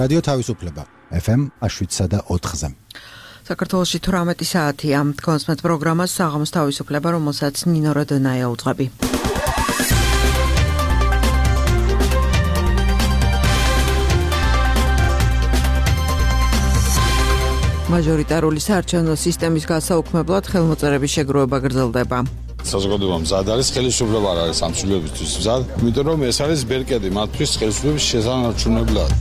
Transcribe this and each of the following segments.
რადიო თავისუფლება FM 107.4-ზე. საქართველოში 18 საათია. კონსმეთ პროგრამას საღამოს თავისუფლება, რომელსაც ნინო როდონაია უძღვები. მაჟორიტარული საარჩევნო სისტემის გასაუქმებლად ხელმოწერების შეგროვება გრძელდება. საზოგადოება მზად არის, ხელისუფლება არ არის ამ ცვლილებისთვის მზად, იმიტომ რომ ეს არის ბერკეტი მათთვის ხელისუფლების შესანარჩუნებლად.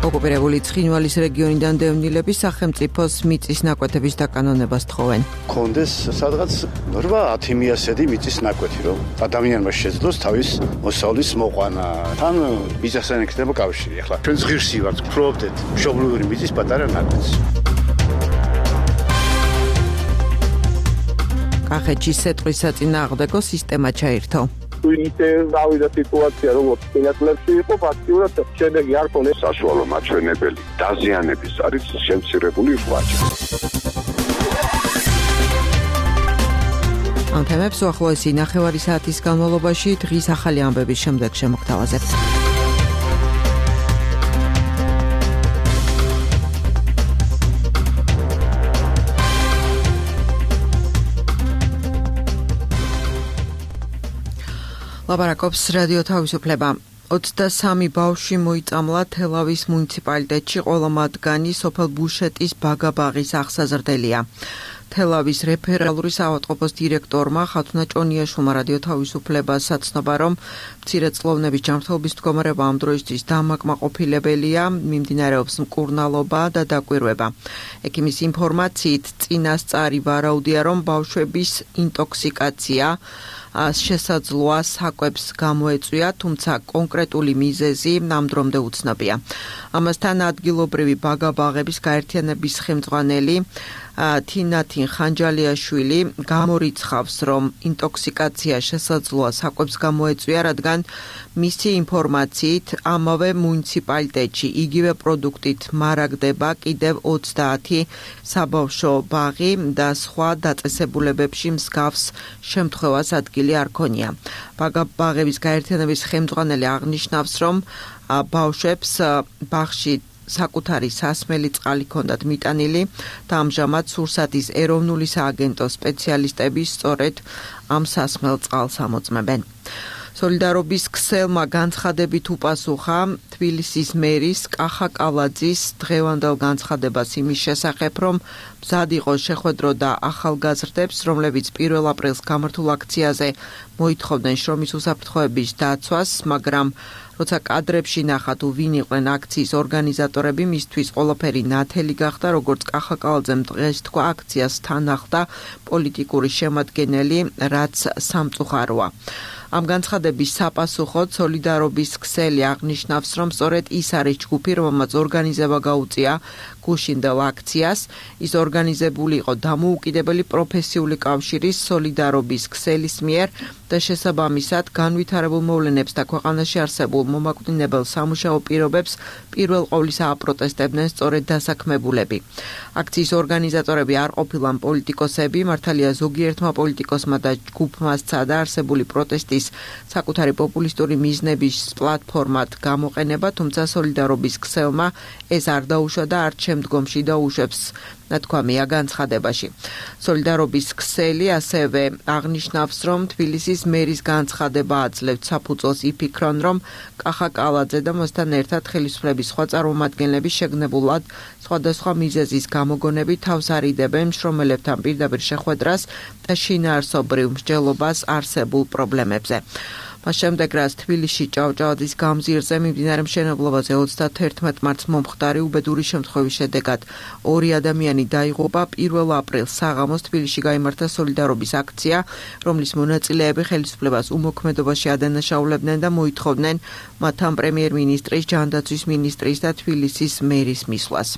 ოკუპირებული ცხინვალის რეგიონიდან დევნილები სახელმწიფოს მიწის ნაკვეთების დაკანონებას თხოვენ. კონდეს სადღაც 8-10 მიასედი მიწის ნაკვეთი, რომ ადამიანმა შეძლოს თავის მოსავლის მოყვანა. თან მიწასთან ექნება კავშირი. ახლა ჩვენ ღირსი ვართ, ვფრობდეთ მშობლიური მიწის პატარა ნაკვეთს. კახეთში სეტყვის საწინააღმდეგო სისტემა ჩაირთო. ისე გავიდა სიტუაცია, როგორც წინასწლებში იყო, ფაქტიურად შედეგი არ ქონეს. საშუალო მაჩვენებელი დაზიანების არის შემცირებული ღვაწლი. ამ თემებს უახლოესი ნახევარი საათის განმავლობაში დღის ახალი ამბების შემდეგ შემოგთავაზებთ. ლაპარაკობს რადიო თავისუფლება. 23 ბავშვი მოიწამლა თელავის მუნიციპალიტეტში, ყველა მათგანი სოფელ ბუშეტის ბაგაბაღის აღსაზრდელია. თელავის რეფერალური საავადმყოფოს დირექტორმა ხათუნა ჭონიაშვილმა რადიო თავისუფლებას საცნობა, რომ მცირეწლოვნების ჯანმრთელობის მდგომარეობა ამ დროისთვის დამაკმაყოფილებელია, მიმდინარეობს მკურნალობა და დაკვირვება. ექიმის ინფორმაციით წინასწარი ვარაუდია, რომ ბავშვების ინტოქსიკაცია შესაძლოა საკვებს გამოეწვია, თუმცა კონკრეტული მიზეზი ნამდვილად უცნობია. ამასთან ადგილობრივი ბაგაბაღების გაერთიანების ხელმძღვანელი თინათინ ხანჯალიაშვილი გამორიცხავს, რომ ინტოქსიკაცია შესაძლოა საკვებს გამოეწვია, რადგან მისი ინფორმაციით ამავე მუნიციპალიტეტში იგივე პროდუქტით მარაგდება კიდევ 20 საბავშვო ბაღი და სხვა დაწესებულებებში მსგავს შემთხვევას ადგილი არ ქონია. ბაგაბაღების გაერთიანების ხელმძღვანელი აღნიშნავს, რომ ბავშვებს ბაღში საკუთარი სასმელი წყალი ჰქონდათ მიტანილი და ამჟამად სურსათის ეროვნული სააგენტო სპეციალისტები სწორედ ამ სასმელ წყალს ამოწმებენ. სოლიდარობის ქსელმა განცხადებით უპასუხა თბილისის მერის კახა კალაძის დღევანდელ განცხადებას იმის შესახებ, რომ მზად იყო შეხვედრო და ახალგაზრდებს, რომლებიც 1 აპრილს გამართულ აქციაზე მოითხოვდნენ შრომის უსაფრთხოების დაცვას, მაგრამ როცა კადრებში ნახა თუ ვინ იყვნენ აქციის ორგანიზატორები, მისთვის ყველაფერი ნათელი გახდა, როგორც კახა კალაძემ დღეს თქვა, აქციას თან ახლდა პოლიტიკური შემადგენელი, რაც სამწუხაროა. ამ განცხადების საპასუხოდ სოლიდარობის ქსელი აღნიშნავს, რომ სწორედ ის არის ჯგუფი, რომელმაც ორგანიზება გაუწია გუშინდელ აქციას. ის ორგანიზებული იყო დამოუკიდებელი პროფესიული კავშირის სოლიდარობის ქსელის მიერ და შესაბამისად განვითარებულ მოვლენებს და ქვეყანაში არსებულ მომაკვდინებელ სამუშაო პირობებს პირველ ყოვლისა აპროტესტებდნენ სწორედ დასაქმებულები. აქციის ორგანიზატორები არ ყოფილან პოლიტიკოსები, მართალია ზოგიერთმა პოლიტიკოსმა და ჯგუფმა სცადა არსებული პროტესტის საკუთარი პოპულისტური მიზნების პლატფორმად გამოყენება, თუმცა სოლიდარობის ქსელმა ეს არ დაუშვა და არც შემდგომში დაუშვებს, ნათქვამია განცხადებაში. სოლიდარობის ქსელი ასევე აღნიშნავს, რომ თბილისის მერის განცხადება აძლევთ საფუძველს იფიქრონ, რომ კახა კალაძე და მასთან ერთად ხელისუფლების სხვა წარმომადგენლები შეგნებულად სხვადასხვა მიზეზის გამოგონებით თავს არიდებენ მშრომელებთან პირდაპირ შეხვედრას და შინაარსობრივ მსჯელობას არსებულ პრობლემებზე. მას შემდეგ, რაც თბილისში ჭავჭავაძის გამზირზე მიმდინარე მშენებლობაზე 31 მარტს მომხდარი უბედური შემთხვევის შედეგად 2 ადამიანი დაიღუპა. 1 აპრილს საღამოს თბილისში გაიმართა სოლიდარობის აქცია, რომლის მონაწილეები ხელისუფლებას უმოქმედობაში ადანაშაულებდნენ და მოითხოვდნენ მათთან პრემიერ-მინისტრის, ჯანდაცვის მინისტრის და თბილისის მერის მისვლას.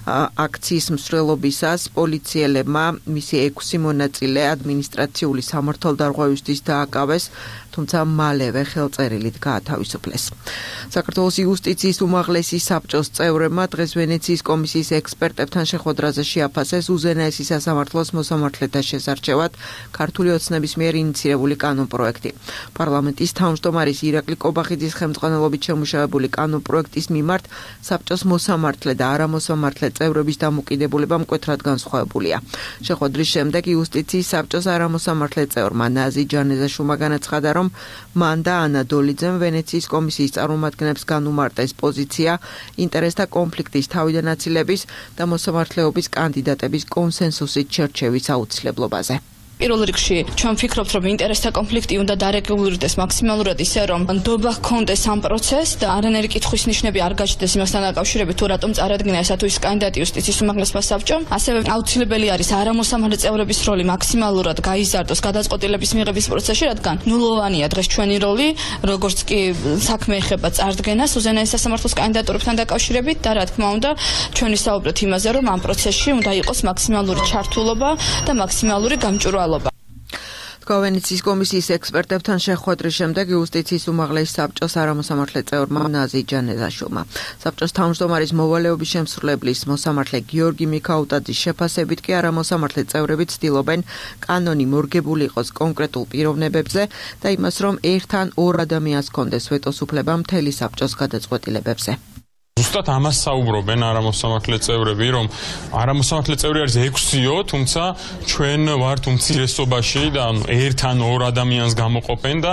აქციის მსვლელობისას პოლიციელებმა მისი 6 მონაწილე ადმინისტრაციული სამართალდარღვევისთვის დააკავეს, თუმცა მალევე ხელწერილით გაათავისუფლეს. საქართველოს იუსტიციის უმაღლესი საბჭოს წევრებმა დღეს ვენეციის კომისიის ექსპერტებთან შეხვედრაზე შეაფასეს უზენაესი სასამართლოს მოსამართლეთა შესარჩევად ქართული ოცნების მიერ ინიცირებული კანონპროექტი. პარლამენტის თავმჯდომარის ირაკლი კობახიძის ხელმძღვანელობით შემუშავებული კანონპროექტის მიმართ საბჭოს მოსამართლე და არამოსამართლე წევრების დამოკიდებულება მკვეთრად განსხვავებულია. შეხვედრის შემდეგ იუსტიციის საბჭოს არამოსამართლე წევრმა ნაზი ჯანეზაშვილმა განაცხადა, რომ მან და ანა დოლიძემ ვენეციის კომისიის წარმომადგენლებს განუმარტეს პოზიცია ინტერესთა კონფლიქტის თავიდან აცილების და მოსამართლეობის კანდიდატების კონსენსუსით შერჩევის აუცილებლობაზე. პირველ რიგში ჩვენ ვფიქრობთ, რომ ინტერესთა კონფლიქტი უნდა დარეგულირდეს მაქსიმალურად ისე, რომ ნდობა ჰქონდეს ამ პროცესს და არანაირი კითხვის ნიშნები არ გაჩნდეს იმასთან დაკავშირებით, თუ რატომ წარადგინა ესა თუ ის კანდიდატი იუსტიციის უმაღლესმა საბჭომ. ასევე აუცილებელი არის არამოსამართლე წევრების როლი მაქსიმალურად გაიზარდოს გადაწყვეტილების მიღების პროცესში, რადგან ნულოვანია დღეს ჩვენი როლი, როგორც კი საქმე ეხება წარდგენას უზენაეს სასამართლოს კანდიდატურებთან დაკავშირებით და რა თქმა უნდა, ჩვენ ვისაუბრეთ იმაზე, რომ ამ პროცესში უნდა იყოს მაქსიმალური ჩართულობა და მაქსიმალური გამჭვირვალობა. ვენეციის კომისიის ექსპერტებთან შეხვედრის შემდეგ იუსტიციის უმაღლესი საბჭოს არამოსამართლე წევრმა ნაზი ჯანეზაშვილმა საბჭოს თავმჯდომარის მოვალეობის შემსრულებლის მოსამართლე გიორგი მიქაუტაძის შეფასებით კი არამოსამართლე წევრები ცდილობენ კანონი მორგებული იყოს კონკრეტულ პიროვნებებზე და იმას, რომ ერთ ან ორ ადამიანს ჰქონდეს ვეტოს უფლება მთელი საბჭოს გადაწყვეტილებებზე. ზუსტად ამას საუბრობენ არამოსამართლე წევრები, რომ არამოსამართლე წევრი არის 6-ო, თუმცა ჩვენ ვართ უმცირესობაში და ერთ ან ორ ადამიანს გამოყოფენ და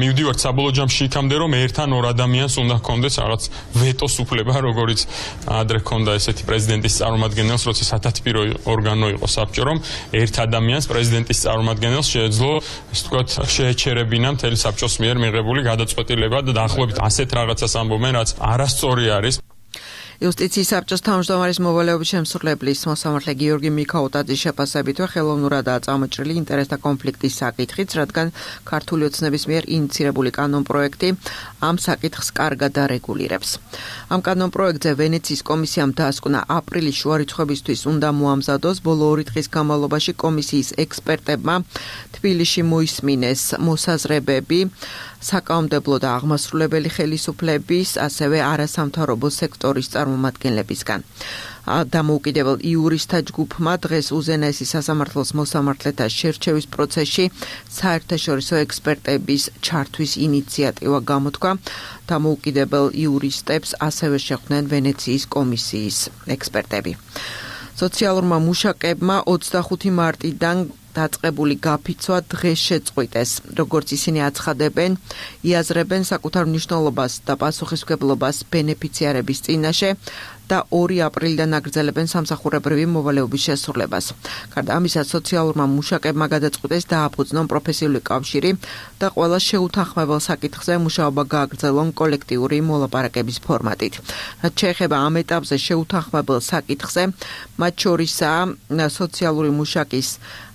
მივდივართ საბოლოო ჯამში იქამდე, რომ ერთ ან ორ ადამიანს უნდა ჰქონდეს რაღაც ვეტოს უფლება, როგორც ადრე ჰქონდა ესეთი პრეზიდენტის წარმომადგენელს, როცა სათათბირო ორგანო იყო საბჭო, რომ ერთ ადამიანს პრეზიდენტის წარმომადგენელს შეეძლო, ასე ვთქვათ, შეეჩერებინა მთელი საბჭოს მიერ მიღებული გადაწყვეტილება და დაახლოებით ასეთ რაღაცას ამბობენ, რაც არასწორი არის. იუსტიციის საბჭოს თავმჯდომარის მოვალეობის შემსრულებლის მოსამართლე გიორგი მიქაუტაძის შეფასებითვე ხელოვნურადაა წამოჭრილი ინტერესთა კონფლიქტის საკითხიც, რადგან ქართული ოცნების მიერ ინიცირებული კანონპროექტი ამ საკითხს კარგად არეგულირებს. ამ კანონპროექტზე ვენეციის კომისიამ დაასკვნა აპრილის შუარიცხვებისთვის უნდა მოამზადოს, ბოლო 2 დღის განმავლობაში კომისიის ექსპერტებმა თბილისში მოისმინეს მოსაზრებები საკანონმდებლო და აღმასრულებელი ხელისუფლების, ასევე არასამთავრობო სექტორის წარმომადგენლებისგან. დამოუკიდებელ იურისტთა ჯგუფმა დღეს უზენაესი სასამართლოს მოსამართლეთა შერჩევის პროცესში საერთაშორისო ექსპერტების ჩართვის ინიციატივა გამოთქვა. დამოუკიდებელ იურისტებს ასევე შეხვდნენ ვენეციის კომისიის ექსპერტები. სოციალურმა მუშაკებმა 25 მარტიდან დაწყებული გაფიცვა დღეს შეწყვიტეს. როგორც ისინი აცხადებენ, იაზრებენ საკუთარ მნიშვნელობას და პასუხისმგებლობას ბენეფიციარების წინაშე და 2 აპრილიდან აგრძელებენ სამსახურებრივი მოვალეობის შესრულებას. გარდა ამისა, სოციალურმა მუშაკებმა გადაწყვიტეს დააფუძნონ პროფესიული კავშირი და ყველა შეუთანხმებელ საკითხზე მუშაობა გააგრძელონ კოლექტიური მოლაპარაკების ფორმატით. რაც შეეხება ამ ეტაპზე შეუთანხმებელ საკითხზე, მათ შორისაა სოციალური მუშაკის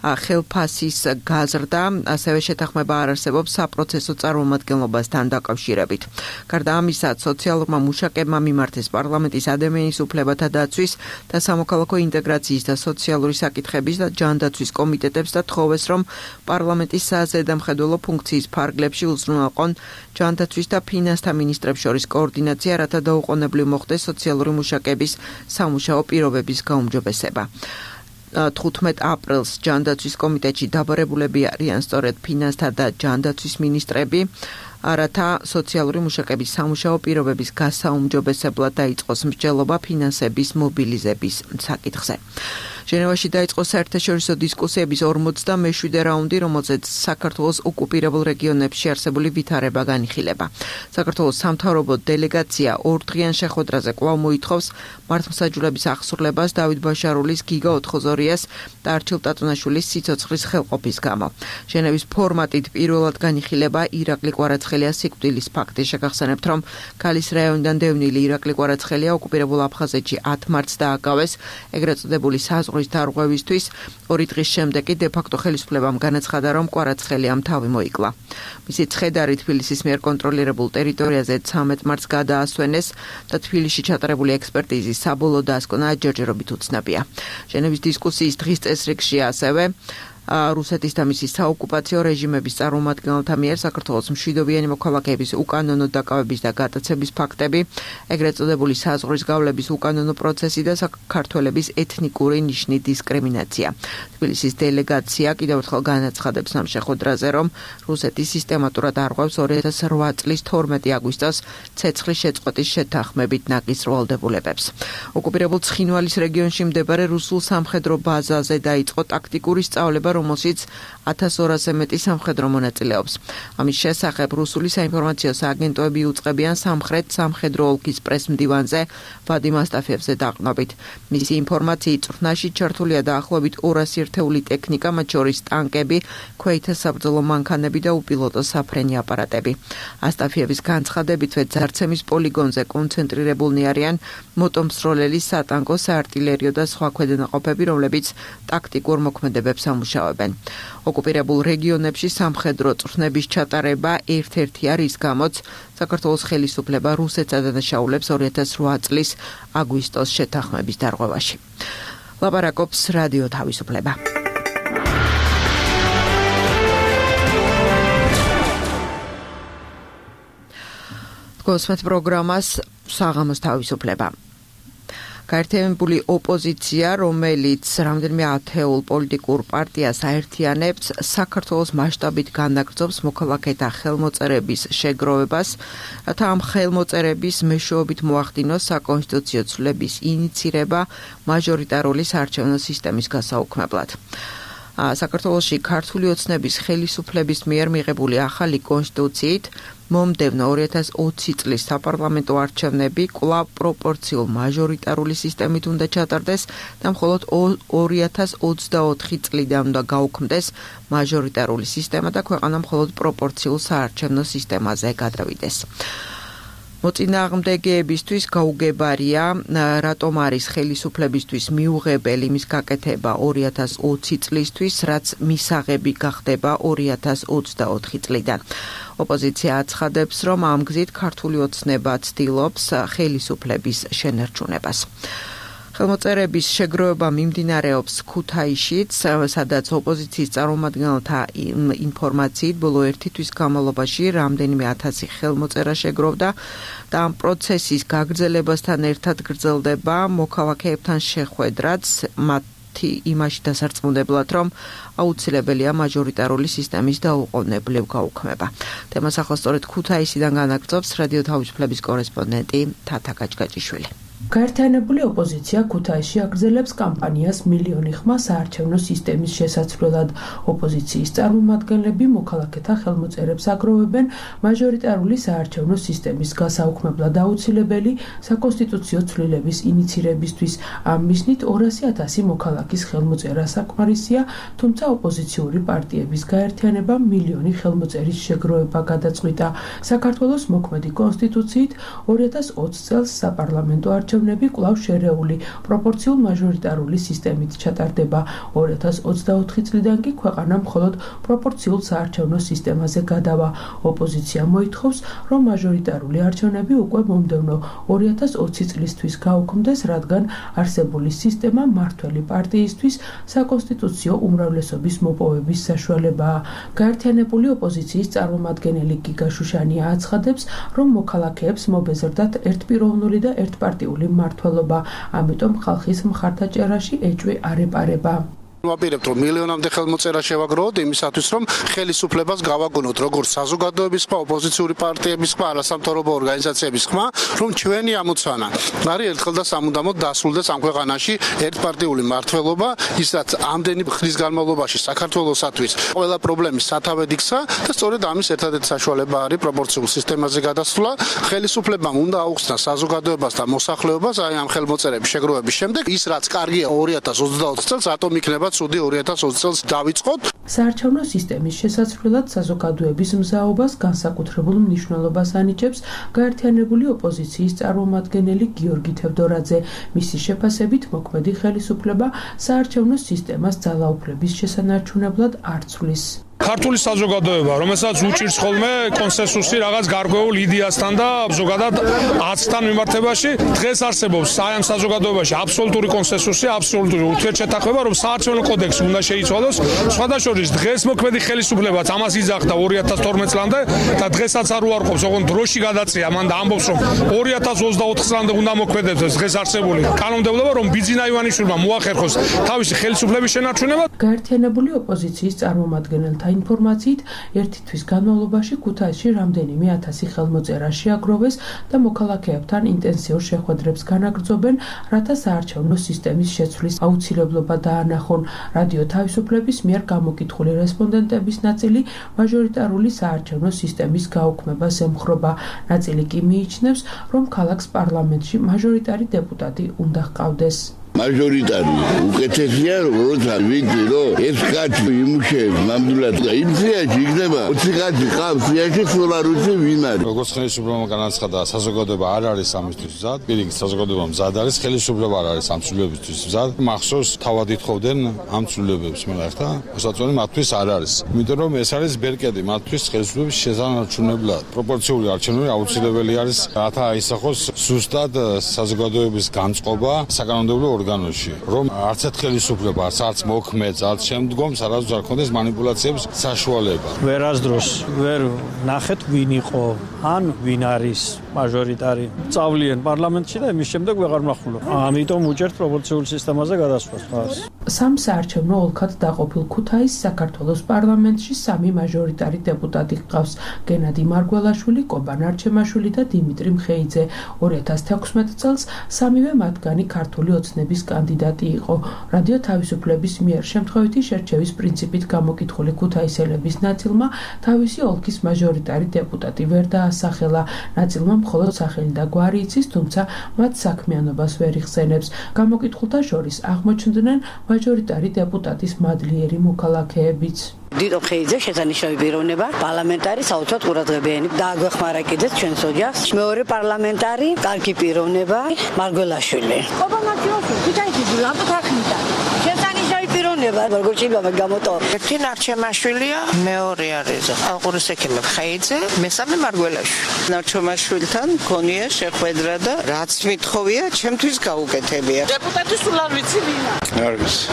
ხელფასის გაზრდა, ასევე შეთანხმება არ არსებობს საპროცესო წარმომადგენლობასთან დაკავშირებით. გარდა ამისა, სოციალურმა მუშაკებმა მიმართეს პარლამენტის ადამიანის უფლებათა დაცვის და სამოქალაქო ინტეგრაციის და სოციალური საკითხების და ჯანდაცვის კომიტეტებს და თხოვეს, რომ პარლამენტის საზედამხედველო ფუნქციის ფარგლებში უზრუნველყონ ჯანდაცვის და ფინანსთა მინისტრებს შორის კოორდინაცია, რათა დაუყოვნებლივ მოხდეს სოციალური მუშაკების სამუშაო პირობების გაუმჯობესება. 15 აპრილს ჯანდაცვის კომიტეტში დაბარებულები არიან სწორედ ფინანსთა და ჯანდაცვის მინისტრები, რათა სოციალური მუშაკების სამუშაო პირობების გასაუმჯობესებლად დაიწყოს მსჯელობა ფინანსების მობილიზების საკითხზე. ჟენევაში დაიწყო საერთაშორისო დისკუსიების 47 რაუნდი, რომელზეც საქართველოს ოკუპირებულ რეგიონებში არსებული ვითარება განიხილება. საქართველოს სამთავრობო დელეგაცია 2 დღიან შეხვედრაზე კვლავ მოითხოვს მართლმსაჯულების აღსრულებას დავით ბაშარულის, გიგა ოთხოზორიას და არჩილ ტატუნაშვილის სიცოცხლის ხელყოფის გამო. ჟენევის ფორმატით პირველად განიხილება ირაკლი კვარაცხელიას სიკვდილის ფაქტი. შეგახსენებთ, რომ ქალის რაიონიდან დევნილი ირაკლი კვარაცხელია ოკუპირებულ აფხაზეთში 10 მარტს დააკავეს ეგრეთ წოდებული საზღვრის დარღვევისთვის 2 დღის შემდეგ კი დე-ფაქტო ხელისუფლებამ განაცხადა, რომ კვარაცხელიამ თავი მოიკლა. მისი ცხედარი თბილისის მიერ კონტროლირებულ ტერიტორიაზე 13 მარტს გადაასვენეს და თბილისში ჩატარებული ექსპერტიზის საბოლოო დასკვნა ჯერჯერობით უცნობია. ჟენევის დისკუსიის დღის წესრიგში ასევე რუსეთის და მისი საოკუპაციო რეჟიმების წარმომადგენელთა მიერ საქართველოს მშვიდობიანი მოქალაქეების უკანონო დაკავების და გატაცების ფაქტები, ეგრეთ წოდებული საზღვრის გავლების უკანონო პროცესი და საქართველების ეთნიკური ნიშნით დისკრიმინაცია. თბილისის დელეგაცია კიდევ ერთხელ განაცხადებს ამ შეხვედრაზე, რომ რუსეთი სისტემატურად არღვევს 2008 წლის 12 აგვისტოს ცეცხლის შეწყვეტის შეთანხმებით ნაკის ვალდებულებებს. ოკუპირებულ ცხინვალის რეგიონში მდებარე რუსულ სამხედრო ბაზაზე დაიწყო ტაქტიკური სწავლება, რომელშიც 1200-ზე მეტი სამხედრო მონაწილეობს. ამის შესახებ რუსული საინფორმაციო სააგენტოები უწყებიან სამხრეთ სამხედრო ოლქის პრესმდივანზე ვადიმ ასტაფიევზე დაყნობით. მისი ინფორმაციით წვრთნაში ჩართულია დაახლოებით 200 ერთეული ტექნიკა, მათ შორის ტანკები, ქვეითთა საბრძოლო მანქანები და უპილოტო საფრენი აპარატები. ასტაფიევის განცხადებითვე ძარცემის პოლიგონზე კონცენტრირებულნი არიან მოტომსროლელი, სატანკო, საარტილერიო და სხვა ქვედანაყოფები, რომლებიც ტაქტიკურ მოქმედებებს ამუშავებენ. ოკუპირებულ რეგიონებში სამხედრო წვრთნების ჩატარება ერთ-ერთი არის, გამოც საქართველოს ხელისუფლება რუსეთს ადანაშაულებს 2008 წლის აგვისტოს შეთანხმების დარღვევაში. ლაპარაკობს რადიო თავისუფლება. გოსმეთ პროგრამას საღამოს თავისუფლება. გაერთიანებული ოპოზიცია, რომელიც რამდენიმე ათეულ პოლიტიკურ პარტიას აერთიანებს, საქართველოს მასშტაბით განაგრძობს მოქალაქეთა ხელმოწერების შეგროვებას, რათა ამ ხელმოწერების მეშვეობით მოახდინოს საკონსტიტუციო ცვლილების ინიცირება მაჟორიტარული საარჩევნო სისტემის გასაუქმებლად. საქართველოში ქართული ოცნების ხელისუფლების მიერ მიღებული ახალი კონსტიტუციით მომდევნო 2020 წლის საპარლამენტო არჩევნები კვლავ პროპორციულ მაჟორიტარული სისტემით უნდა ჩატარდეს და მხოლოდ 2024 წლიდან უნდა გაუქმდეს მაჟორიტარული სისტემა და ქვეყანა მხოლოდ პროპორციულ საარჩევნო სისტემაზე გადავიდეს. მოწინააღმდეგეებისთვის გაუგებარია, რატომ არის ხელისუფლებისთვის მიუღებელი მის გაკეთება 2020 წლისთვის, რაც მისაღები გახდება 2024 წლიდან. ოპოზიცია აცხადებს, რომ ამ გზით ქართული ოცნება ცდილობს ხელისუფლების შენარჩუნებას. ხელმოწერების შეგროვება მიმდინარეობს ქუთაისშიც, სადაც ოპოზიციის წარმომადგენელთა ინფორმაციით ბოლო 1 თვის განმავლობაში რამდენიმე 1000 ხელმოწერა შეგროვდა და ამ პროცესის გაგრძელებასთან ერთად გრძელდება მოქალაქეებთან შეხვედრაც იმაში დასარწმუნებლად, რომ აუცილებელია მაჟორიტარული სისტემის დაუყოვნებლივ გაუქმება. თემას ახლა სწორედ ქუთაისიდან განაგრძობს რადიო თავისუფლების კორესპონდენტი თათა გაჭგაჭიშვილი. გაერთიანებული ოპოზიცია ქუთაისში აგრძელებს კამპანიას მილიონი ხმა საარჩევნო სისტემის შესაცვლელად. ოპოზიციის წარმომადგენლები მოქალაქეთა ხელმოწერებს აგროვებენ მაჟორიტარული საარჩევნო სისტემის გასაუქმებლად აუცილებელი საკონსტიტუციო ცვლილების ინიცირებისთვის. ამ მიზნით 200,000 მოქალაქის ხელმოწერა საკმარისია, თუმცა ოპოზიციური პარტიების გაერთიანება მილიონი ხელმოწერის შეგროვება გადაწყვიტა. საქართველოს მოქმედი კონსტიტუციით 2020 წელს საპარლამენტო არჩევნები კვლავ შერეული პროპორციულ მაჟორიტარული სისტემით ჩატარდება. 2024 წლიდან კი ქვეყანა მხოლოდ პროპორციულ საარჩევნო სისტემაზე გადავა. ოპოზიცია მოითხოვს, რომ მაჟორიტარული არჩევნები უკვე მომდევნო 2020 წლისთვის გაუქმდეს, რადგან არსებული სისტემა მმართველი პარტიისთვის საკონსტიტუციო უმრავლესობის მოპოვების საშუალებაა. გაერთიანებული ოპოზიციის წარმომადგენელი გიგა შუშანია აცხადებს, რომ მოქალაქეებს მობეზრდათ ერთპიროვნული და ერთპარტიული მმართველობა, ამიტომ ხალხის მხარდაჭერაში ეჭვი არ ეპარება. ვაპირებთ, რომ მილიონამდე ხელმოწერა შევაგროვოთ იმისათვის, რომ ხელისუფლებას გავაგონოთ როგორც საზოგადოების ხმა, ოპოზიციური პარტიების ხმა, არასამთავრობო ორგანიზაციების ხმა, რომ ჩვენი ამოცანა არის ერთხელ და სამუდამოდ დასრულდეს ამ ქვეყანაში ერთპარტიული მმართველობა, ის რაც ამდენი ხნის განმავლობაში საქართველოსათვის ყველა პრობლემის სათავედ იქცა და სწორედ ამის ერთადერთი საშუალება არის პროპორციულ სისტემაზე გადასვლა. ხელისუფლებამ უნდა აუხსნა საზოგადოებას და მოსახლეობას აი ამ ხელმოწერების შეგროვების შემდეგ, ის რაც კარგია 2020 წელს, რატომ იქნება ცუდი 2020 წელს დავიწყოთ. საარჩევნო სისტემის შესაძლებლად საზოგადოების მზაობას განსაკუთრებულ მნიშვნელობას ანიჭებს გაერთიანებული ოპოზიციის წარმომადგენელი გიორგი თევდორაძე. მისი შეფასებით მოქმედი ხელისუფლება საარჩევნო სისტემას ძალაუფლების შესანარჩუნებლად არ ცვლის. ქართული საზოგადოება, რომელსაც უჭირს ხოლმე კონსენსუსი რაღაც გარკვეულ იდეასთან და ზოგადად აცთან მიმართებაში, დღეს არსებობს ამ საზოგადოებაში აბსოლუტური კონსენსუსი, აბსოლუტური ურთიერთშეთანხმება, რომ საარჩევნო კოდექსი უნდა შეიცვალოს. სხვადასხვა დღეს მოქმედი ხელისუფლებაც ამას იძახდა 2012 წლამდე და დღესაც არ უარყოფს, ოღონდ დროში გადაწია, მან და ამბობს, რომ 2024 წლამდე უნდა მოქმედებს დღეს არსებული კანონმდებლობა, რომ ბიძინა ივანიშვილმა მოახერხოს თავისი ხელისუფლების შენარჩუნება. გაერთიანებული ოპოზიციის წარმომადგენელთა ინფორმაციით ერთი თვის განმავლობაში ქუთაისში რამდენიმე 1000 ხელმოწერა შეაგროვეს და მოქალაქეებთან ინტენსიურ შეხვედრებს განაგრძობენ, რათა საარჩევნო სისტემის შეცვლის აუცილებლობა დაანახონ. რადიო თავისუფლების მიერ გამოკითხული რესპონდენტების ნაწილი მაჟორიტარული საარჩევნო სისტემის გაუქმებას ემხრობა. ნაწილი კი მიიჩნევს, რომ ქალაქს პარლამენტში მაჟორიტარი დეპუტატი უნდა ჰყავდეს. მაჟორიტარი უკეთესია, როცა ვიცი, რომ ეს კაცი იმუშავებს ნამდვილად და იმ სიაში იქნება 20 კაცი ყავს სიაში, სულ არ ვიცი ვინ არის. როგორც ხელისუფლებამ განაცხადა, საზოგადოება არ არის ამისთვის მზად, პირიქით საზოგადოება მზად არის, ხელისუფლება არ არის ამ ცვლილებისთვის მზად. მახსოვს თავად ითხოვდნენ ამ ცვლილებებს, მაგრამ ახლა მოსაწონი მათთვის არ არის. იმიტომ რომ ეს არის ბერკეტი მათთვის ხელისუფლების შესანარჩუნებლად. პროპორციული არჩევნები აუცილებელი არის, რათა აისახოს სუსტად საზოგადოების განწყობა საკანონმდებლო ორგანოში, რომ არც ერთ ხელისუფლებას, არც მოქმედს, არც შემდგომს არასდროს არ ქონდეს манипуляციების საშუალება. ვერასდროს ვერ ნახეთ ვინ იყო, ან ვინ არის მაჟორიტარი. წავლიან პარლამენტში და იმის შემდეგ ვეღარ ვნახულობ. ამიტომ უჭერთ პროპორციულ სისტემაზე გადასვლას. სამ საარჩევნო ოლქად დაყოფილ ქუთაისს საქართველოს პარლამენტში 3 მაჟორიტარი დეპუტატი ჰყავს: გენადი მარგველაშვილი, კობან არჩემაშვილი და დიმიტრი მხეიძე. 2016 წელს სამივე მათგანი ქართული ოცნების კანდიდატი იყო. რადიო თავისუფლების მიერ შემთხვევითი შერჩევის პრინციპით გამოკითხული ქუთაისელების ნაწილმა თავისი ოლქის მაჟორიტარი დეპუტატი ვერ დაასახელა. ნაწილმა მხოლოდ სახელი და გვარი იცის, თუმცა მათ საქმიანობას ვერ იხსენებს. გამოკითხულთა შორის აღმოჩნდნენ მაჟორიტარი დეპუტატის მადლიერი მოქალაქეებიც. დიდო ხეიძე შესანიშნავი პიროვნება, პარლამენტარი საოცრად ყურადღებიანი. დააგვეხმარა კიდეც ჩვენს ოჯახს. მეორე პარლამენტარი, კარგი პიროვნება, მარგველაშვილი. ქუთაისში ლამპო თახნიდა. შესანიშნავი პიროვნება, როგორც იბამა გამოტო. ერთი ნარჩემაშვილია, მეორე არის ალყურის ექიმი ხეიძე, მესამე მარგველაშვილი. ნარჩემაშვილთან მქონია შეხვედრა და რაც მithოვია, ჩემთვის გაუკეთებია. დეპუტატი სულ არ ვიცი ვინა. არ ვიცი.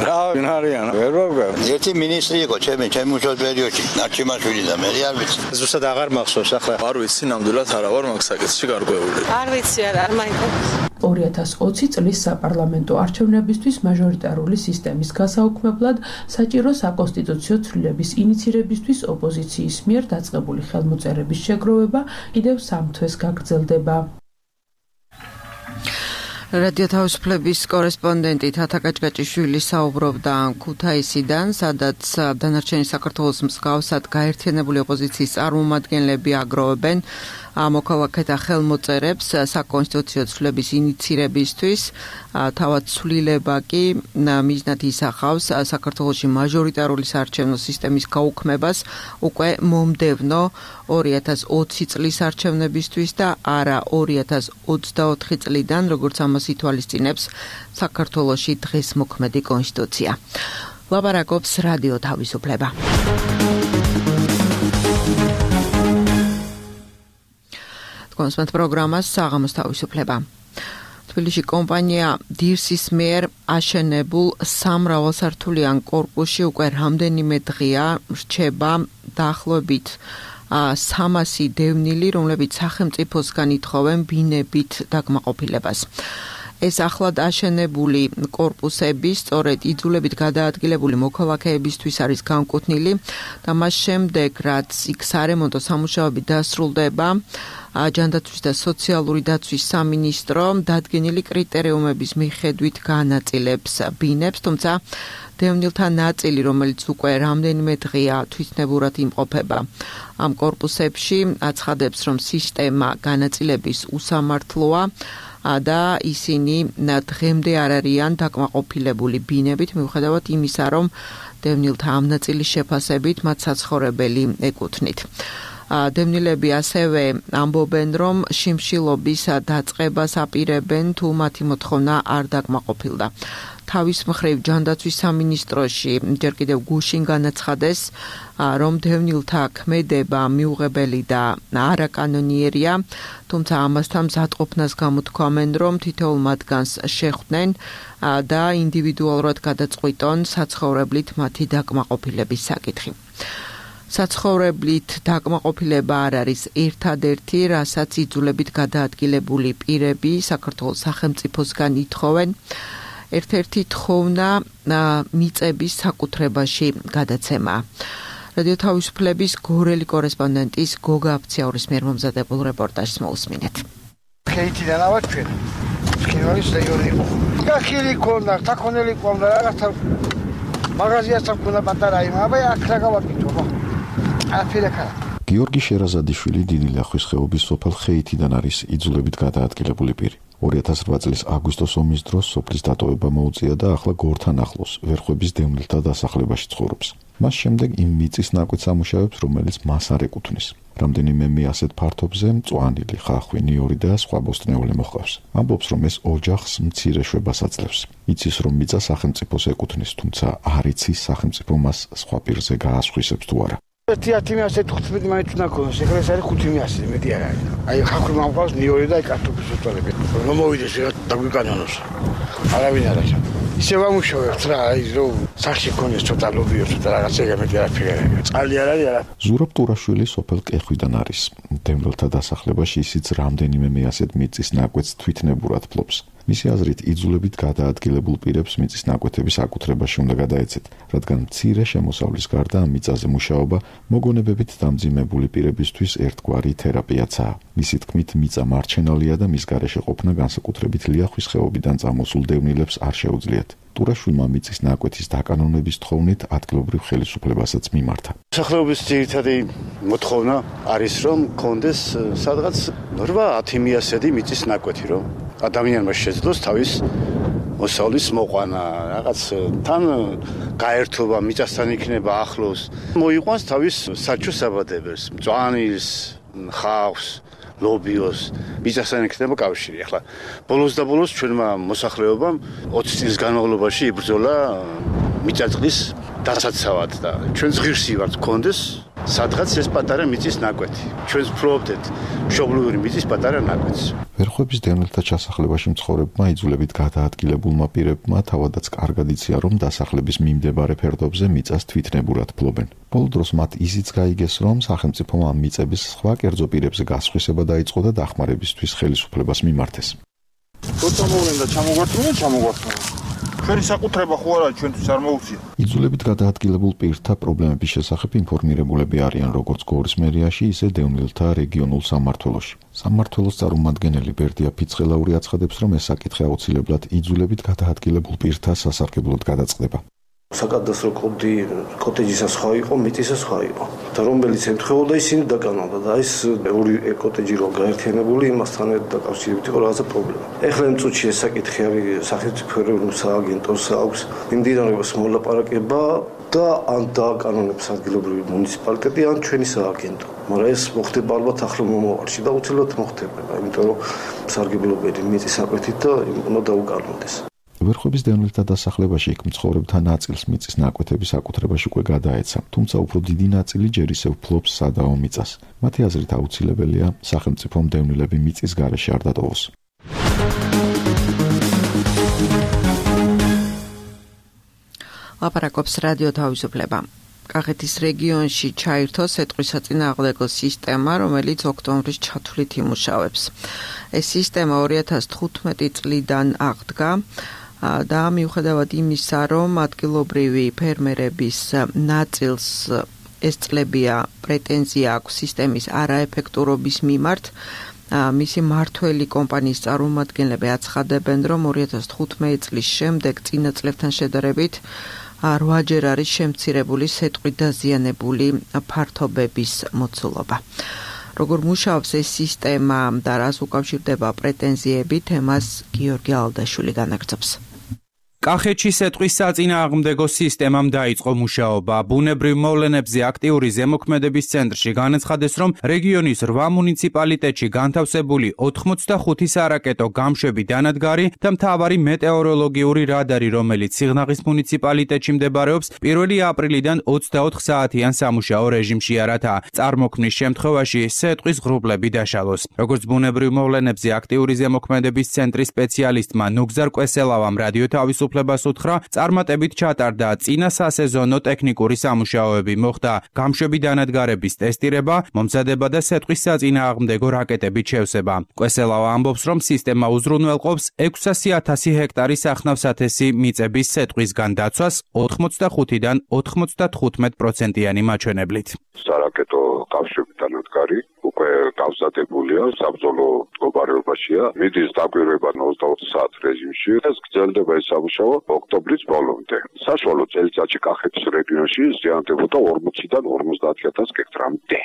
რა ვინ არიან? ვერ ვაგებ. ერთი მინისტრი იყო ჩემი მუშაობის პერიოდში, ნარჩემაშვილი და მე არ ვიცი. ზუსტად აღარ მახსოვს ახლა. არ ვიცი, ნამდვილად არა ვარ მაგ საკითხში გარკვეული. არ ვიცი, არ მაინტერესებს. 2020 წლის საპარლამენტო არჩევნებისთვის მაჟორიტარული სისტემის გასაუქმებლად საჭირო საკონსტიტუციო ცვლილების ინიცირებისთვის ოპოზიციის მიერ დაწყებული ხელმოწერების შეგროვება კიდევ 3 თვეს გაგრძელდება. რადიო თავისუფლების კორესპონდენტი თათა კაჭკაჭიშვილი საუბრობდა ქუთაისიდან, სადაც დანარჩენი საქართველოს მსგავსად გაერთიანებული ოპოზიციის წარმომადგენლები აგროვებენ მოქალაქეთა ხელმოწერებს საკონსტიტუციო ცვლილების ინიცირებისთვის. თავად ცვლილება კი მიზნად ისახავს საქართველოში მაჟორიტარული საარჩევნო სისტემის გაუქმებას უკვე მომდევნო 2020 წლის არჩევნებისთვის და არა 2024 წლიდან, როგორც ამას ითვალისწინებს საქართველოში დღეს მოქმედი კონსტიტუცია. ლაპარაკობს რადიო თავისუფლება. კონსპენთ პროგრამას საღამოს თავისუფლება. თბილისში კომპანია დირსის მიერ აშენებულ სამრავალსართულიან კორპუსში უკვე რამდენიმე დღეა რჩება დაახლოებით 300 დევნილი, რომლებიც სახელმწიფოსგან ითხოვენ ბინებით დაკმაყოფილებას. ეს ახლად აშენებული კორპუსები სწორედ იძულებით გადაადგილებული მოქალაქეებისთვის არის განკუთვნილი და მას შემდეგ, რაც იქ სარემონტო სამუშაოები დასრულდება, ჯანდაცვის და სოციალური დაცვის სამინისტრო დადგენილი კრიტერიუმების მიხედვით განაწილებს ბინებს, თუმცა დევნილთა ნაწილი, რომელიც უკვე რამდენიმე დღეა თვითნებურად იმყოფება ამ კორპუსებში, აცხადებს, რომ სისტემა განაწილების უსამართლოა. და ისინი დღემდე არ არიან დაკმაყოფილებული ბინებით, მიუხედავად იმისა, რომ დევნილთა ამ ნაწილის შეფასებით მათ საცხოვრებელი ეკუთვნით. დევნილები ასევე ამბობენ, რომ შიმშილობის დაწყებას აპირებენ, თუ მათი მოთხოვნა არ დაკმაყოფილდა. თავის მხრივ ჯანდაცვის სამინისტროში ჯერ კიდევ გუშინ განაცხადეს, რომ დევნილთა ქმედება მიუღებელი და არაკანონიერია, თუმცა ამასთან მზადყოფნას გამოთქვამენ, რომ თითოეულ მათგანს შეხვდნენ და ინდივიდუალურად გადაწყვიტონ საცხოვრებლით მათი დაკმაყოფილების საკითხი. საცხოვრებლით დაკმაყოფილება არ არის ერთადერთი, რასაც იძულებით გადაადგილებული პირები საქართველოს სახელმწიფოსგან ითხოვენ. ერთ-ერთი თხოვნა მიწების საკუთრებაში გადაცემა. რადიო თავისუფლების გორელი კორესპონდენტის გოგა აფციაურის მიერ მომზადებულ რეპორტაჟს მოусმინეთ. ქეითიდან ავარ ჩვენ. სკინოლის რაიონი იყო. გახილი ქონდა, თაქონელი ქონდა, რაღაცა მაღაზიასთან ქონდა პატარა იმაბა, აქ რა გავაკეთო, ხო? აფირეკა. გიორგი შერაზადიშვილი დიდი ლახვის ხეობის სოფელ ხეითიდან არის იძულებით გადაადგილებული პირი. 2008 წლის აგვისტოს ომის დროს სოფლის დატოვება მოუწია და ახლა გორთან ახლოს ვერხვების დევნილთა დასახლებაში ცხოვრობს. მას შემდეგ იმ მიწის ნაკვეთს ამუშავებს, რომელიც მას არ ეკუთვნის. რამდენიმე მე ასეთ ფართობზე მწვანილი, ხახვი, ნიორი და სხვა ბოსტნეული მოჰყავს. ამბობს, რომ ეს ოჯახს მცირე შვებას აძლევს. იცის, რომ მიწა სახელმწიფოს ეკუთვნის, თუმცა არ იცის სახელმწიფო მას სხვა პირზე გაასხვისებს თუ არა. 1115 მაინც უნდა ქონდეს, ეხლა ეს არის 500 მეტი არ არის. აი ხახვი მომყავს, ნიორი და კარტოფილს უწვალები. რომ მოვიდეს რა დაგვიკანონოს. არავინ არ არის. ისე ვამუშავებთ რა, აი რომ სახში ქონდეს ცოტა ლობიო, ცოტა რაღაცა მეტი არაფერი არ არის. წყალი არ არის არა. ზურაბ ტურაშვილი სოფელ კეხვიდან არის. დევნილთა დასახლებაში ისიც რამდენიმე მე ასეთ მიწის ნაკვეთს თვითნებურად ფლობს. მისი აზრით, იძულებით გადაადგილებულ პირებს მიწის ნაკვეთების აკუთრებაში უნდა გადაეცეთ, რადგან მცირე შემოსავლის გარდა ამ მიწაზე მუშაობა მოგონებებით დამძიმებული პირებისთვის ერთგვარი თერაპიაცაა. მისი თქმით, მიწა მარჩენალია და მის გარეშე ყოფნა განსაკუთრებით ლიახვის ხეობიდან წამოსულ დევნილებს არ შეუძლიათ. ტურაშვილმა მიწის ნაკვეთის დაკანონების თხოვნით ადგილობრივ ხელისუფლებასაც მიმართა. მოსახლეობის ძირითადი მოთხოვნა არის, რომ კონდეს სადღაც 8-10 მიასედი მიწის ნაკვეთი, რომ ადამიანმა შეძლოს თავის მოსავლის მოყვანა, რაღაც თან გაერთობა მიწასთან იქნება ახლოს, მოიყვანს თავის საჩუს საბადებელს, მწვანილს, ხავს, ლობიოს, მიწასთან იქნება კავშირი. ახლა ბოლოს და ბოლოს ჩვენმა მოსახლეობამ 20 წლის განმავლობაში იბრძოლა მიწაწყლის დასაცავად და ჩვენს ღირსი ვართ კონდეს სადღაც ეს პატარა მიწის ნაკვეთი. ჩვენს ვფლობდეთ მშობლიური მიწის პატარა ნაკვეთს. ვერხვების დევნილთა ჩასახლებაში მცხოვრებმა იძულებით გადაადგილებულმა პირებმა თავადაც კარგად იციან, რომ დასახლების მიმდებარე ფერდობზე მიწას თვითნებურად ფლობენ. ბოლო დროს მათ ისიც გაიგეს, რომ სახელმწიფომ ამ მიწების სხვა კერძო პირებზე გასხვისება დაიწყო და დახმარებისთვის ხელისუფლებას მიმართეს. როცა მოვლენდა ჩამოგვართმევენ. ჩვენი საკუთრება ხო არა, ჩვენთვის არ მოუწია. იძულებით გადაადგილებულ პირთა პრობლემების შესახებ ინფორმირებულები არიან როგორც გორის მერიაში, ისე დევნილთა რეგიონულ სამმართველოში. სამმართველოს წარმომადგენელი ბერდია ფიცხელაური აცხადებს, რომ ეს საკითხი აუცილებლად იძულებით გადაადგილებულ პირთა სასარგებლოდ გადაწყდება. საკადასტრო კოტეჯისა სხვა იყო, მიწისა სხვა იყო. და რომელიც ემთხვეოდა ისინი დაკანონდა და ეს ორი კოტეჯი რო გაერთიანებული იმასთან დაკავშირებით იყო რაღაცა პრობლემა. ეხლა იმ წუთში ეს საკითხი არის სახელმწიფო ეროვნულ სააგენტოს აქვს მიმდინარეობს მოლაპარაკება და ან დააკანონებს ადგილობრივი მუნიციპალიტეტი ან ჩვენი სააგენტო. მაგრამ ეს მოხდება ალბათ ახლო მომავალში და უცილებლად მოხდება, იმიტომ რომ სარგებლობელი მიწის ნაკვეთით და უნდა დაუკანონდეს. ვერხვების დევნილთა დასახლებაში იქ მცხოვრებთა ნაწილს მიწის ნაკვეთების აკუთრებაში უკვე გადაეცა, თუმცა უფრო დიდი ნაწილი ჯერ ისევ ფლობს სადაო მიწას. მათი აზრით აუცილებელია სახელმწიფომ დევნილები მიწის გარეშე არ დატოვოს. ლაპარაკობს რადიო თავისუფლება. კახეთის რეგიონში ჩაირთო სეტყვის საწინააღმდეგო სისტემა, რომელიც ოქტომბრის ჩათვლით იმუშავებს. ეს სისტემა 2015 წლიდან აღდგა და მიუხედავად იმისა, რომ ადგილობრივი ფერმერების ნაწილს ეს წლებია პრეტენზია აქვს სისტემის არაეფექტურობის მიმართ, მისი მართველი კომპანიის წარმომადგენლები აცხადებენ, რომ 2015 წლის შემდეგ წინა წლებთან შედარებით 8-ჯერ არის შემცირებული სეტყვით დაზიანებული ფართობების მოცულობა. როგორ მუშაობს ეს სისტემა და რას უკავშირდება პრეტენზიები, თემას გიორგი ალდაშვილი განაგრძობს. კახეთში სეტყვის საწინააღმდეგო სისტემამ დაიწყო მუშაობა. ბუნებრივ მოვლენებზე აქტიური ზემოქმედების ცენტრში განაცხადეს, რომ რეგიონის 8 მუნიციპალიტეტში განთავსებული 85 სარაკეტო გამშვები დანადგარი და მთავარი მეტეოროლოგიური რადარი, რომელიც სიღნაღის მუნიციპალიტეტში მდებარეობს, 1 აპრილიდან 24 საათიან სამუშაო რეჟიმშია, რათა წარმოქმნის შემთხვევაში სეტყვის ღრუბლები დაშალოს. როგორც ბუნებრივ მოვლენებზე აქტიური ზემოქმედების ცენტრის სპეციალისტმა ნუგზარ კვესელავამ რადიო თავისუფლებას უთხრა, წარმატებით ჩატარდა წინა სასეზონო ტექნიკური სამუშაოები, მოხდა გამშვები დანადგარების ტესტირება, მომზადება და სეტყვის საწინააღმდეგო რაკეტების შევსება. კვესელავა ამბობს, რომ სისტემა უზრუნველყოფს 600,000 ჰექტარის ახნავსათესი მიწების სეტყვისგან დაცვას 85-დან 95%-იანი მაჩვენებლით. სარაკეტო გამშვები დანადგარი უკვე გავზადებულია, საბრძოლო მდგომარეობაშია, მიდის დაკვირვება 24 საათ რეჟიმში. ეს გრძელდება ეს სამუშაო ოქტომბრის ბოლომდე. საშუალო წელიწადში კახეთის რეგიონში ზიანდებოდა 40-დან 50,000 ჰექტრამდე.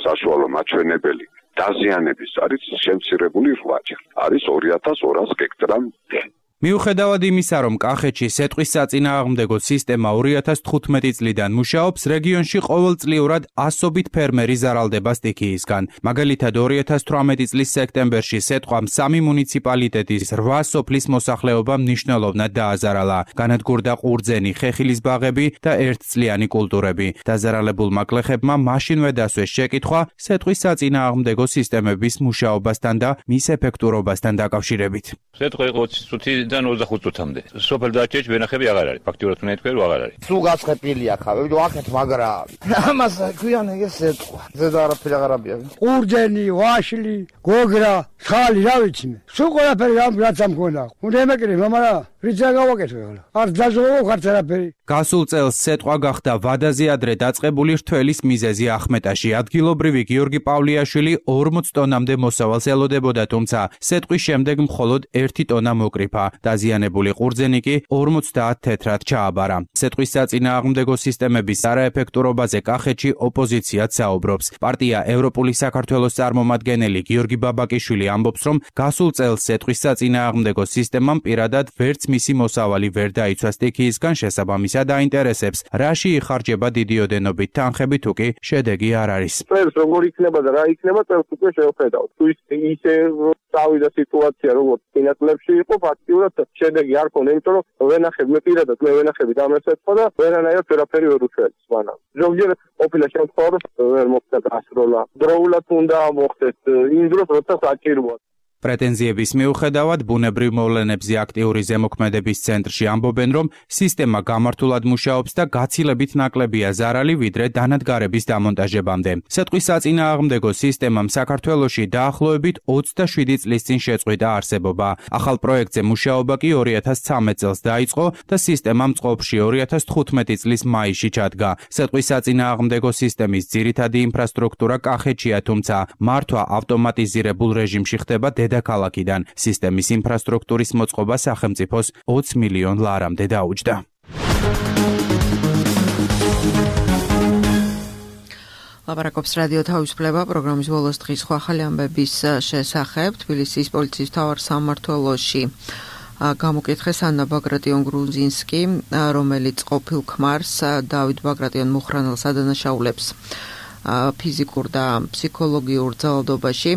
საშუალო მაჩვენებელი დაზიანების არის შემცირებული 8-ჯერ. არის 2200 ჰექტრამდე. მიუხედავად იმისა, რომ კახეთში სეტყვის საწინააღმდეგო სისტემა 2015 წლიდან მუშაობს, რეგიონში ყოველწლიურად ასობით ფერმერი ზარალდება სტიქიისგან. მაგალითად, 2018 წლის სექტემბერში სეტყვამ 3 მუნიციპალიტეტის 8 სოფლის მოსახლეობა მნიშვნელოვნად დააზარალა. განადგურდა ყურძენი, ხეხილის ბაღები და ერთწლიანი კულტურები. დაზარალებულმა გლეხებმა მაშინვე დასვეს შეკითხვა სეტყვის საწინააღმდეგო სისტემების მუშაობასთან და მის ეფექტურობასთან დაკავშირებით. სეტყვა იყო წუთი და 25 წუთამდე. სოფელ დაჭერში ვენახები აღარ არის. ფაქტიურად უნდა ითქვი, რომ აღარ არის. სულ გაცხეპილია ხავე, ვიდრე აქეთ მაგრა. ამას ქვიან ეს სეტყვა. ზედა არაფერი აღარ აბია. ყურძენი, ვაშლი, გოგრა, ხალი, რა ვიცი მე. სულ ყველაფერი რაც ამქონა. უნდა ემეკრე, მაგრამ რიცა გავაკეთე ახლა. არ დაჟღოვო ხარც არაფერი. გასულ წელს სეტყვა გახდა ვადაზე ადრე დაწყებული რთველის მიზეზი ახმეტაში. ადგილობრივი გიორგი პავლიაშვილი 40 ტონამდე მოსავალს ელოდებოდა, თუმცა სეტყვის შემდეგ მხოლოდ 1 ტონა მოკრიფა. დაზიანებული ყურძენი კი 50 თეთრად ჩააბარა. სეტყვის საწინააღმდეგო სისტემების არაეფექტურობაზე კახეთში ოპოზიციაც საუბრობს. პარტია ევროპული საქართველოს წარმომადგენელი გიორგი ბაბაკიშვილი ამბობს, რომ გასულ წელს სეტყვის საწინააღმდეგო სისტემამ პირადად ვერც მისი მოსავალი ვერ დაიცვა სტიქიისგან, შესაბამისად აინტერესებს, რაში იხარჯება დიდი ოდენობით თანხები, თუ კი შედეგი არ არის. წელს როგორ იქნება და რა იქნება, წელს უკვე შევხედავთ. თუ ისე წავიდა სიტუაცია, როგორც წინა წლებში იყო, ფაქტიურად შედეგი არ ქონდა, იმიტომ რომ ვენახები, მე პირადად მე ვენახები დამესწრა და ვერანაირად ვერაფერი ვერ უშვებს მანამ. ზოგჯერ ყოფილა შემთხვევა, რომ ვერ მოხდა გასროლა. დროულად უნდა მოხდეს იმ დროს, როცა საჭიროა. პრეტენზიების მიუხედავად, ბუნებრივ მოვლენებზე აქტიური ზემოქმედების ცენტრში ამბობენ, რომ სისტემა გამართულად მუშაობს და გაცილებით ნაკლებია ზარალი, ვიდრე დანადგარების დამონტაჟებამდე. სეტყვის საწინააღმდეგო სისტემამ საქართველოში დაახლოებით 27 წლის წინ შეწყვიტა არსებობა. ახალ პროექტზე მუშაობა კი 2013 წელს დაიწყო და სისტემა მწყობრში 2015 წლის მაისში ჩადგა. სეტყვის საწინააღმდეგო სისტემის ძირითადი ინფრასტრუქტურა კახეთშია, თუმცა მართვა ავტომატიზირებულ რეჟიმში ხდება დედაქალაქიდან. სისტემის ინფრასტრუქტურის მოწყობა სახელმწიფოს 20 მილიონ ლარამდე დაუჯდა. ლაპარაკობს რადიო თავისუფლება პროგრამის ბოლოს დღის სხვა ახალი ამბების შესახებ. თბილისის პოლიციის მთავარ სამმართველოში გამოკითხეს ანა ბაგრატიონ-გრუზინსკი, რომელიც ყოფილ ქმარს დავით ბაგრატიონ-მუხრანელს ადანაშაულებს ფიზიკურ და ფსიქოლოგიურ ძალადობაში.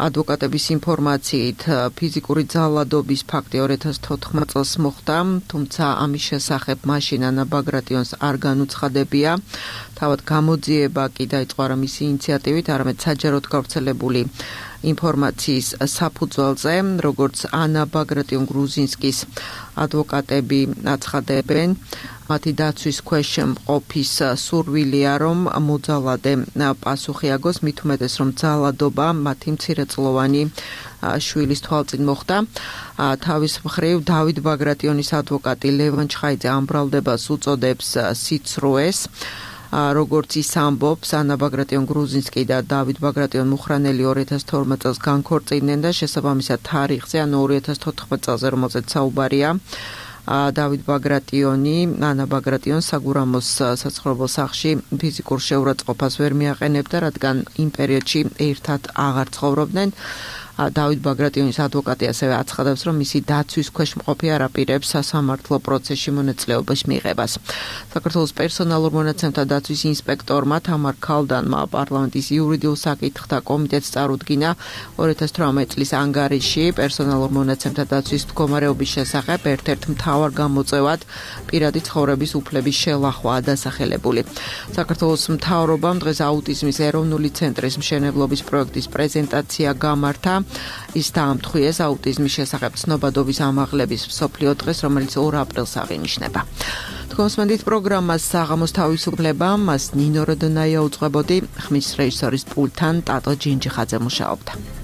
ადვოკატების ინფორმაციით ფიზიკური ძალადობის ფაქტი 2014 წელს მოხდა, თუმცა ამის შესახებ მაშინ ანა ბაგრატიონს არ განუცხადებია. თავად გამოძიება კი დაიწყო არა მისი ინიციატივით, არამედ საჯაროდ გავრცელებული ინფორმაციის საფუძველზე, როგორც ანა ბაგრატიონ-გრუზინსკის ადვოკატები აცხადებენ, მათი დაცვის ქვეშ მყოფის სურვილია, რომ მოძალადე პასუხი აგოს, მით უმეტეს, რომ ძალადობა მათი მცირეწლოვანი შვილის თვალწინ მოხდა. თავის მხრივ დავით ბაგრატიონის ადვოკატი ლევან ჩხაიძე ამ ბრალდებას უწოდებს სიცრუეს. როგორც ის ამბობს, ანა ბაგრატიონ-გრუზინსკი და დავით ბაგრატიონ-მუხრანელი 2012 წელს განქორწინდნენ და შესაბამისად თარიღზე, ანუ 2014 წელზე, რომელზეც საუბარია, დავით ბაგრატიონი, ანა ბაგრატიონს საგურამოს საცხოვრებელ სახლში ფიზიკურ შეურაცხყოფას ვერ მიაყენებდა, რადგან იმ პერიოდში ერთად აღარ ცხოვრობდნენ. დავით ბაგრატიონის ადვოკატი ასევე აცხადებს, რომ მისი დაცვის ქვეშ მყოფი არ აპირებს სასამართლო პროცესში მონაწილეობის მიღებას. საქართველოს პერსონალურ მონაცემთა დაცვის ინსპექტორმა თამარ ქალდანმა პარლამენტის იურიდიულ საკითხთა კომიტეტს წარუდგინა 2018 წლის ანგარიში პერსონალურ მონაცემთა დაცვის მდგომარეობის შესახებ ერთ-ერთ მთავარ გამოწვევად პირადი ცხოვრების უფლების შელახვაა დასახელებული. საქართველოს მთავრობამ დღეს აუტიზმის ეროვნული ცენტრის მშენებლობის პროექტის პრეზენტაცია გამართა. ის დაამტყვიეს აუტიზმის შესახებ ცნობადობის ამაღლების მსოფლიო დღეს, რომელიც 2 აპრილს აღინიშნება. თქვენს პროგრამას საღამოს თავისუფლება, მას ნინო როდონაია უძღვებოდი, ხმის რეჟისორის პულტთან ტატო ჯინჯიხაძე მუშაობდა.